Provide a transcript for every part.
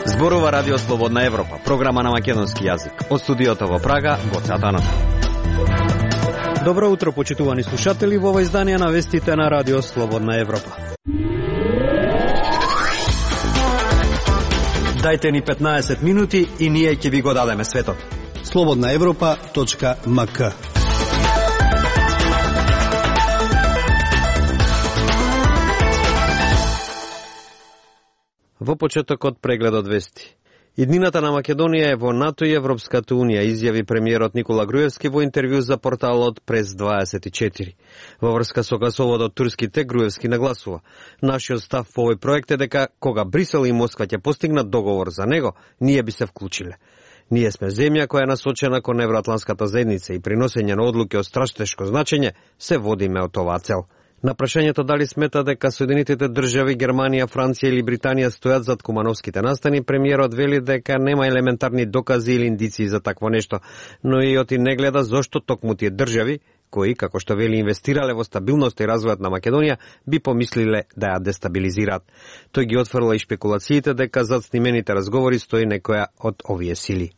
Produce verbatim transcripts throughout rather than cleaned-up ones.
Зборува Радио Слободна Европа, програма на македонски јазик. Од студиото во Прага, Гоце Атанов. Добро утро, почитувани слушатели, во ова издание на вестите на Радио Слободна Европа. Дајте ни петнаесет минути и ние ќе ви го дадеме светот. слободна европа точка ем ка. Во почетокот прегледот вести. Иднината на Македонија е во НАТО и Европската Унија, изјави премиерот Никола Груевски во интервју за порталот Прес дваесет и четири. Во врска со гасоводот турските, Груевски нагласува: нашиот став по овој проект е дека кога Брисел и Москва ќе постигнат договор за него, ние би се вклучиле. Ние сме земја која е насочена кон евроатланската заедница и при носење на одлуки од стратешко значење се водиме од оваа цел. На прашањето дали смета дека Соединетите држави, Германија, Франција или Британија стојат зад кумановските настани, премиерот вели дека нема елементарни докази или индиции за такво нешто, но и оти не гледа зошто токму тие држави, кои, како што вели, инвестирале во стабилност и развојот на Македонија, би помислиле да ја дестабилизираат. Тој ги отфрла и шпекулациите дека зад снимените разговори стои некоја од овие сили.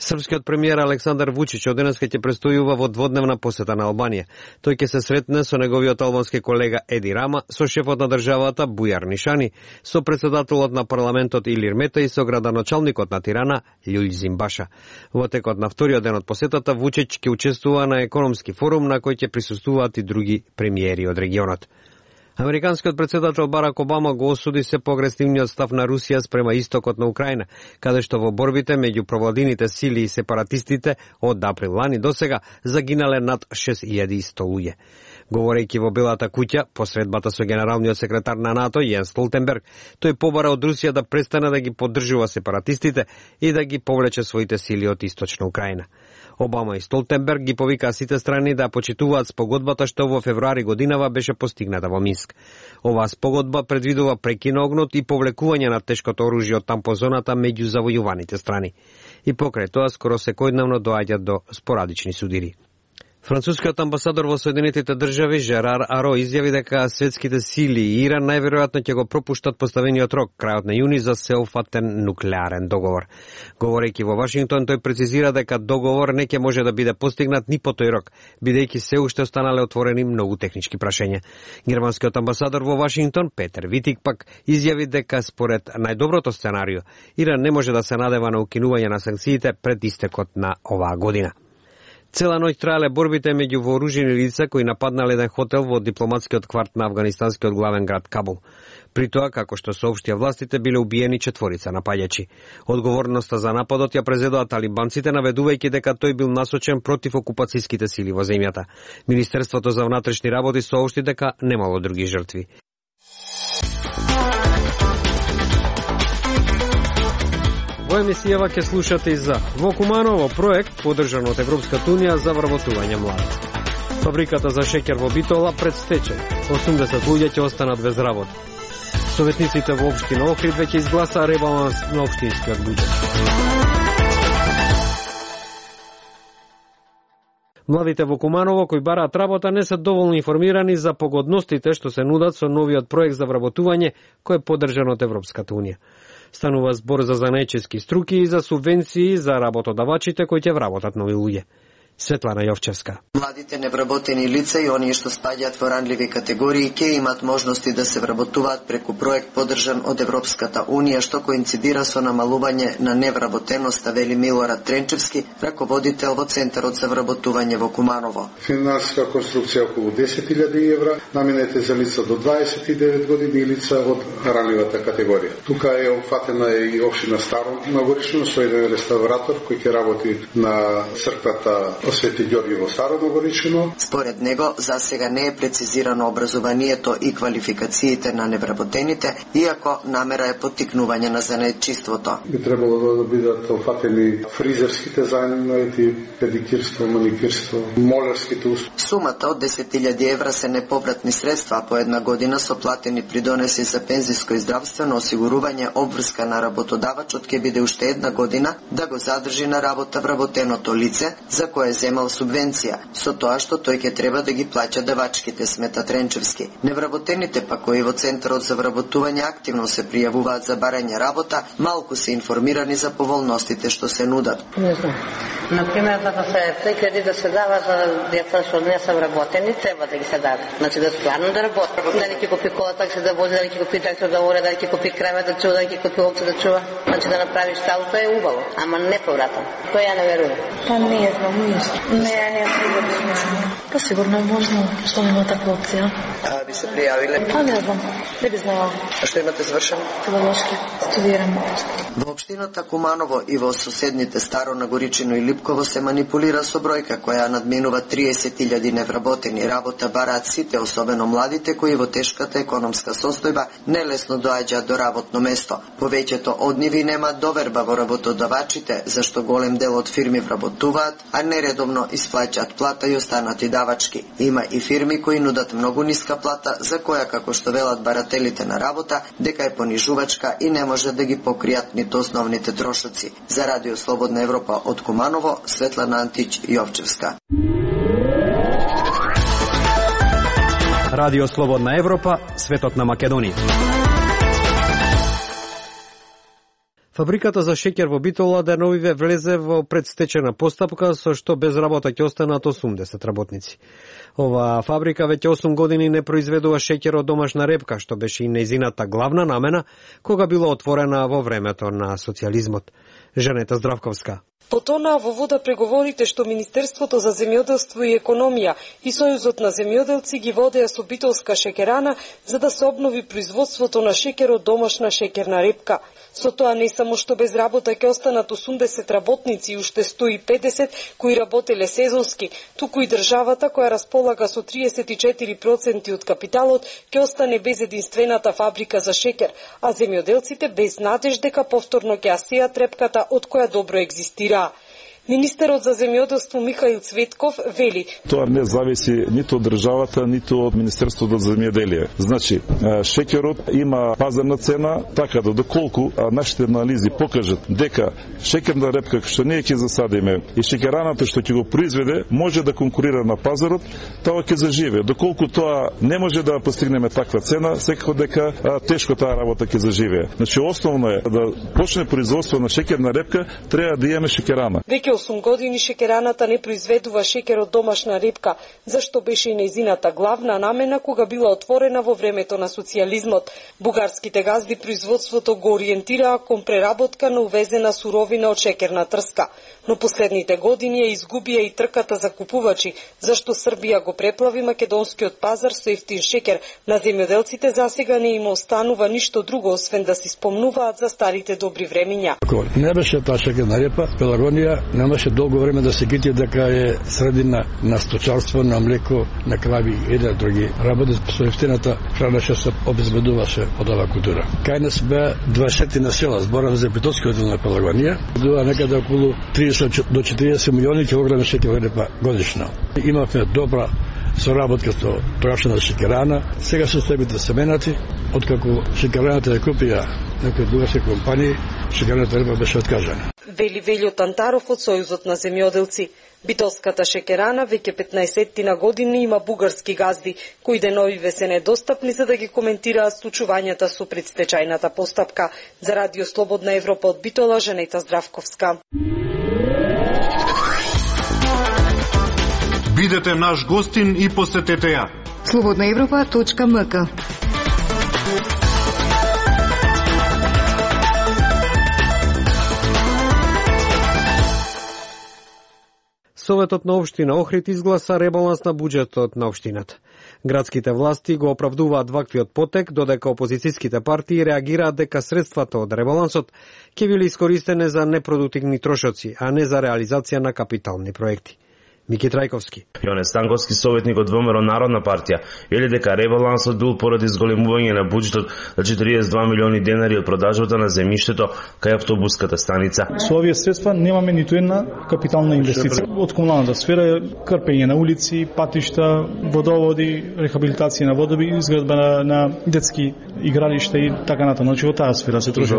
Српскиот премиер Александар Вучич оденеска ќе престојува во дводневна посета на Албанија. Тој ќе се сретне со неговиот албански колега Еди Рама, со шефот на државата Бујар Нишани, со председателот на парламентот Илир Мета и со градоначалникот на Тирана Љулјзим Баша. Во текот на вториот ден од посетата Вучич ќе учествува на економски форум на кој ќе присуствуваат и други премиери од регионот. Американскиот председател Барак Обама го осуди се поагресивниот став на Русија спрема истокот на Украина, каде што во борбите меѓу провладините сили и сепаратистите од април лани досега загинале над шест илјади и сто луѓе. Говорејќи во Белата куќа, по средбата со генералниот секретар на НАТО Јенс Столтенберг, тој побара од Русија да престане да ги поддржува сепаратистите и да ги повлече своите сили од источна Украина. Обама и Столтенберг ги повикаа сите страни да почитуваат спогодбата што во февруари годинава беше постигната во Минск. Оваа спогодба предвидува прекин на огнот и повлекување на тешкото оружје од тампозоната меѓу завојуваните страни. И покрај тоа скоро секојдневно доаѓаат до спорадични судири. Францускиот амбасадор во Соединетите држави Жерар Аро изјави дека светските сили и Иран најверојатно ќе го пропуштат поставениот рок крајот на јуни за сеопфатен нуклеарен договор. Говорејќи во Вашингтон, тој прецизира дека договор не ќе може да биде постигнат ни по тој рок, бидејќи се уште останале отворени многу технички прашања. Германскиот амбасадор во Вашингтон Петер Витик пак изјави дека според најдоброто сценарио Иран не може да се надева на укинување на санкциите пред истекот на оваа година. Цела ноќ траеле борбите меѓу вооружени лица кои нападнале еден хотел во дипломатскиот кварт на афганистанскиот главен град Кабул. При тоа, како што соопштија властите, биле убиени четворица напаѓачи. Одговорноста за нападот ја презедоа талибанците, наведувајќи дека тој бил насочен против окупацијските сили во земјата. Министерството за внатрешни работи соопшти дека немало други жртви. Во емисијава ќе слушате и за во Куманово проект поддржан од Европската Унија за вработување млади. Фабриката за шеќер во Битола пред стечај. осумдесет луѓе ќе останат без работа. Советниците во општина Охрид веќе изгласаа ребаланс на општинскиот буџет. Младите во Куманово кои бараат работа не се доволно информирани за погодностите што се нудат со новиот проект за вработување кој е поддржан од Европската Унија. Станува збор за занаечески струки и за субвенции за работодавачите кои ќе вработат нови луѓе. Светлана Јовчевска. Младите невработени лица и оние што спаѓаат во ранливи категории ќе имат можности да се вработуваат преку проект поддржан од Европската Унија што коинцидира со намалување на невработеноста, вели Милорад Тренчевски, раководител во Центарот за вработување во Куманово. Финансиска конструкција околу десет илјади евра, наменете за лица до дваесет и девет години и лица од ранливата категорија. Тука е опфатена и општина Старо Нагорично со еден реставратор кој ќе работи на црквата Свети Ѓорги во Старо Нагорично. Според него, за сега не е прецизирано образованието и квалификациите на невработените, иако намера е поттикнување на занаетчиството. Би требало да бидат опфатени фризерските занаети, педикирство, маникирство, молерските услуги. Сумата од десет илјади евра се неповратни средства по една година со платени придонеси за пензиско и здравствено осигурување. Обврска на работодавачот ќе биде уште една година да го задржи на работа вработеното лице за кое земал субвенција. со тоа што тој ќе треба да ги плаќа давачките, смета Тренчевски. Невработените па кои во Центарот за вработување активно се пријавуваат за барање работа, малку се информирани за поволностите што се нудат. Не знам. Например, да се тој кредит да се дава за деца што не се вработени, треба да ги се даде. Значи да стварно да работат. Дали ќе купи кола такси да вози, дали ќе купи трактор да воре, дали ќе купи крава да чува, дали ќе купи овце да чува. Значи да направиш талото е убаво, ама не повратно. Тоа ја не верувам. Па не знам ништо. Не, не сигурно. Па сигурно е можно, што нема таква опција. А би се пријавиле? Па не знам, не би знала. А што имате завршено? Педагошки, студирам. Во општината Куманово и во соседните Старо Нагоричино и Липково се манипулира со бројка која надминува триесет илјади невработени. Работа бараат сите, особено младите кои во тешката економска состојба нелесно доаѓаат до работно место. Повеќето од нив нема доверба во работодавачите, зашто голем дел од фирми вработуваат, а нередовно исплаќаат плата и останати давачки. Има и фирми кои нудат многу ниска плата, за која, како што велат барателите на работа, дека е понижувачка и не може да ги покријат ниту основните трошоци. За Радио Слободна Европа од Куманово, Светлана Антич, Јовчевска. Радио Слободна Европа, светот на Македонија. Фабриката за шеќер во Битола деновиве влезе во предстечена постапка со што без работа ќе останат осумдесет работници. Оваа фабрика веќе осум години не произведува шеќер од домашна репка, што беше и нејзината главна намена кога била отворена во времето на социјализмот. Жанета Здравковска. Потонаа во вода преговорите што Министерството за земјоделство и економија и Сојузот на земјоделци ги водеа со битолска шеќерана за да се обнови производството на шеќер од домашна шеќерна репка. Со тоа не само што без работа ќе останат осумдесет работници и уште сто и педесет кои работеле сезонски, туку и државата која располага со триесет и четири проценти од капиталот ќе остане без единствената фабрика за шеќер, а земјоделците без надеж дека повторно ќе ја сеат репката од која добро екзистира. Министерот за земјоделство Михаил Цветков вели: Тоа не зависи ниту од државата, ниту од Министерството за земјоделие. Значи, шеќерот има пазарна цена, така да доколку нашите анализи покажат дека шеќерна репка што ние ќе засадиме и шеќераната што ќе го произведе може да конкурира на пазарот, тоа ќе заживе. Доколку тоа не може да постигнеме таква цена, секако дека а, тешко таа работа ќе заживее. Значи, основно е да почне производство на шеќерна репка, треба да имаме шеќерана. Веќе осум години шеќераната не произведува шеќер од домашна репка, зашто беше и нејзината главна намена кога била отворена во времето на социјализмот. Бугарските газди производството го ориентираа кон преработка на увезена суровина од шеќерна трска, но последните години ја изгубија и трката за купувачи, зашто Србија го преплави македонскиот пазар со ефтин шеќер. На земјоделците засега не им останува ништо друго освен да си спомнуваат за старите добри времиња. Ако не беше таа шеќерна репа, Пелагонија немаше долго време да се гити дека е средина на сточарство, на млеко, на крави и да други работи. Со ефтината храна што се обезбедуваше од оваа култура. Кај нас беа дваесет на села, зборам за Битолскиот дел на Пелагонија, била некаде околу триесет до четириесет милиони килограми шеќерна репа годишно. Имавме добра соработка со тогашната шеќерана. Сега системите се менати, откако шеќераната ја купија некои дугаси компании, шеќерната репа беше откажана. Вели Велјо Тантаров од Сојузот на земјоделци. Битолската шеќерана веќе петнаесет години има бугарски газди, кои деновиве се недостапни за да ги коментираат случувањата со предстечајната постапка. За Радио Слободна Европа од Битола, Жанета Здравковска. Бидете наш гостин и посетете ја. слободна европа точка ем ка. Советот на општина Охрид изгласа ребаланс на буџетот на општината. Градските власти го оправдуваат ваквиот потек, додека опозицијските партии реагираат дека средствата од ребалансот ќе биле искористени за непродуктивни трошоци, а не за реализација на капитални проекти. Мики Трајковски. Јоне Станковски, советник од ВМРО Народна партија, вели дека ребалансот бил поради зголемување на буџетот за четириесет и два милиони денари од продажбата на земјиштето кај автобуската станица. Со овие средства немаме ниту една капитална инвестиција. Од комуналната сфера, крпење на улици, патишта, водоводи, рехабилитација на водоби, изградба на, на детски игралишта и така натаму. Значи во таа сфера се троши.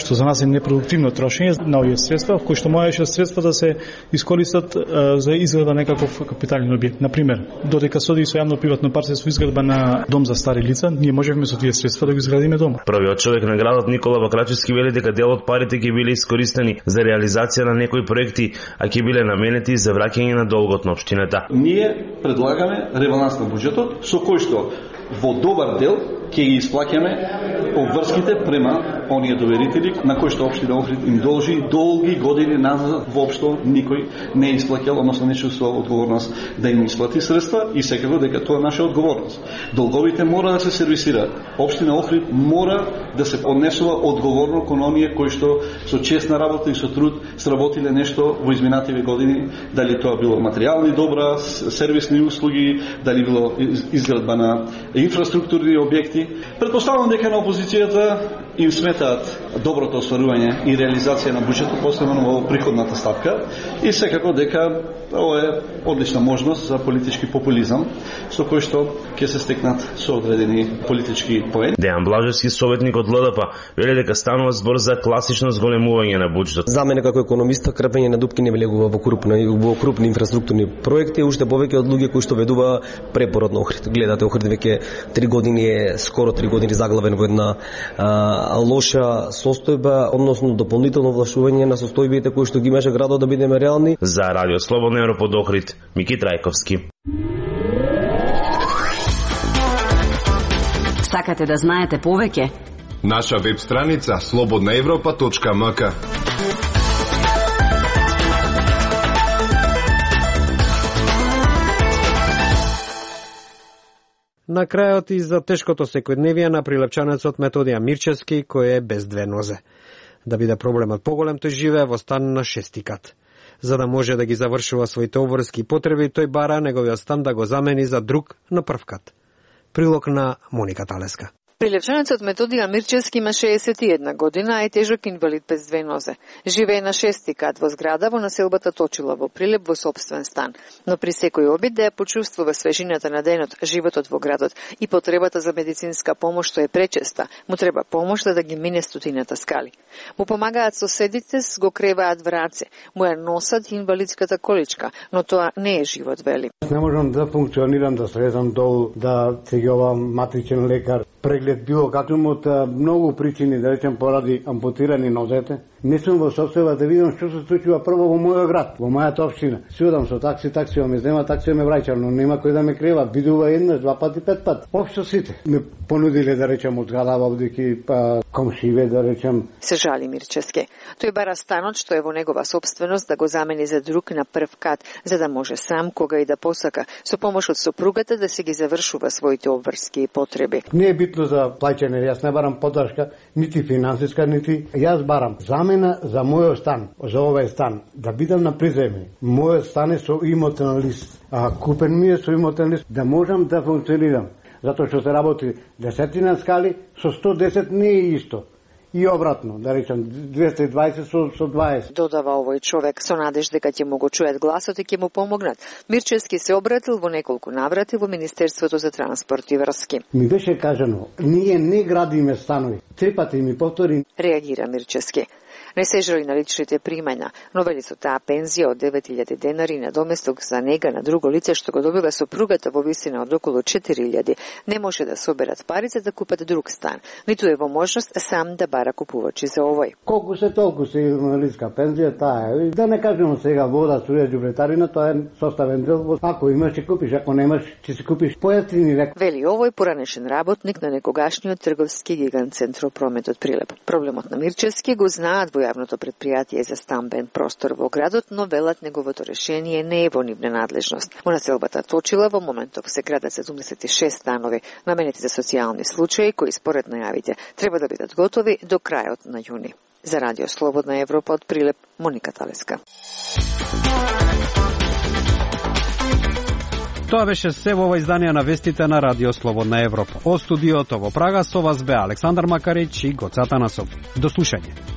Што за нас е непродуктивно трошење на овие средства, кои што можеше средства да се искористат за изградба некаков капитален објект. На пример, додека се оди со јавно-приватно партнерство изградба на дом за стари лица, ние можеме со тие средства да го изградиме дом. Првиот човек на градот Никола Бакрачевски вели дека дел од парите ќе биле искористени за реализација на некои проекти, а ќе биле наменети за враќање на долгот на општината. Ние предлагаме ребаланс на буџетот со кој што во добар дел ќе ги исплаќаме обврските према оние доверители на кои што општина Охрид им должи долги години назад, воопшто никој не исплаќал, односно не чувствувал одговорност да им исплати средства и секако дека тоа е наша одговорност. Долговите мора да се сервисираат. Општина Охрид мора да се однесува одговорно кон оние кои што со честна работа и со труд сработиле нешто во изминативе години, дали тоа било материјални добра, сервисни услуги, дали било изградба на инфраструктурни објекти. Предпоставувам дека на опозицијата им сметаат доброто остварување и реализација на буџетот, посебно во приходната ставка, и секако дека ова е одлична можност за политички популизам, со кој што ќе се стекнат со одредени политички поени. Дејан Блажевски, советник од Л Д П, вели дека станува збор за класично зголемување на буџетот. За мене како економиста крпење на дупки не влегува во крупни во крупни инфраструктурни проекти, уште повеќе од луѓе кои што ведува препорот на Охрид. Гледате, Охрид веќе три години е скоро три години заглавен во една а, лоша состојба, односно дополнително влашување на состојбите кои што ги имаше градот, да бидеме реални. За Радио Слободна Европа од Охрид, Мики Трајковски. Сакате да знаете повеќе? Наша веб страница слободна европа точка м к. На крајот и за тешкото секојдневие на прилепчанецот Методија Мирчевски, кој е без две нозе. Да биде проблемот поголем, тој живее во стан на шести кат. За да може да ги завршува своите обврски потреби, тој бара неговиот стан да го замени за друг на прв кат. Прилог на Моника Талеска. Прилепчанецот Методија Мирчевски има шеесет и една година, а е тежок инвалид без две нозе. Живее на шести кат во зграда во населбата Точила во Прилеп во сопствен стан. Но при секој обид да ја почувствува свежината на денот, животот во градот и потребата за медицинска помош што е пречеста, му треба помош да, да ги мине стотината скали. Му помагаат соседите, го креваат враце, му ја носат инвалидската количка, но тоа не е живот, вели. Не можам да функционирам, да слезам долу, да цегјувам матричен лекар, преглед било каквим од многу причини, да речем поради ампутирани нозете. Не сум во состојба да видам што се случува прво во мојот град, во мојата општина. Си одам со такси, такси ме зема, такси ме враќа, но нема кој да ме крива. Видува еднаш, два пати, пет пат. Општо сите ме понудиле, да речем, од зграда водејќи па комшиве, да речем. Се жали Мирчевски. Тој бара станот што е во негова собственост да го замени за друг на прв кат, за да може сам кога и да посака со помош од сопругата да се ги завршува своите обврски потреби. Не е битно за плаќање, јас не барам поддршка, нити финансиска, нити јас барам замена за мојот стан, за овој стан, да бидам на приземје. Мојот стан е со имотен лист, а купен ми е со имотен лист, да можам да функционирам. Затоа што се работи десетина скали, со сто десет не е исто. И обратно, да речем, двеста и дваесет со, со дваесет. Додава овој човек со надеж дека ќе му го чует гласот и ќе му помогнат. Мирчевски се обратил во неколку наврати во Министерството за транспорт и врски. Ми беше кажано, ние не градиме станови. Три пати ми повтори. Реагира Мирчевски. Не се жали на личните примања, но вели со таа пензија од девет илјади денари на доместок за нега на друго лице што го добива сопругата во висина од околу четири илјади, не може да соберат парите да купат друг стан, ниту е во можност сам да бара купувачи за овој. Колку се толку се инвалидска пензија, таа е. Да не кажемо сега вода, струја, џубретарина, тоа е составен дел. Ако имаш ќе купиш, ако немаш ќе се купиш поевтини рек. Вели овој поранешен работник на некогашниот трговски гигант Центропрометот Прилеп. Проблемот на Мирчевски го знаат во јавното претпријатие за стамбен простор во градот, но велат неговото решение не е во нивна надлежност. Во населбата Точила во моментов се градат седумдесет и шест станови наменети за социјални случаи кои според најавите треба да бидат готови до крајот на јуни. За Радио Слободна Европа од Прилеп, Моника Талеска. Тоа беше се во ова издание на вестите на Радио Слободна Европа. Од студиото во Прага со вас бе Александар Макарич и Гоца Танасов. До слушање.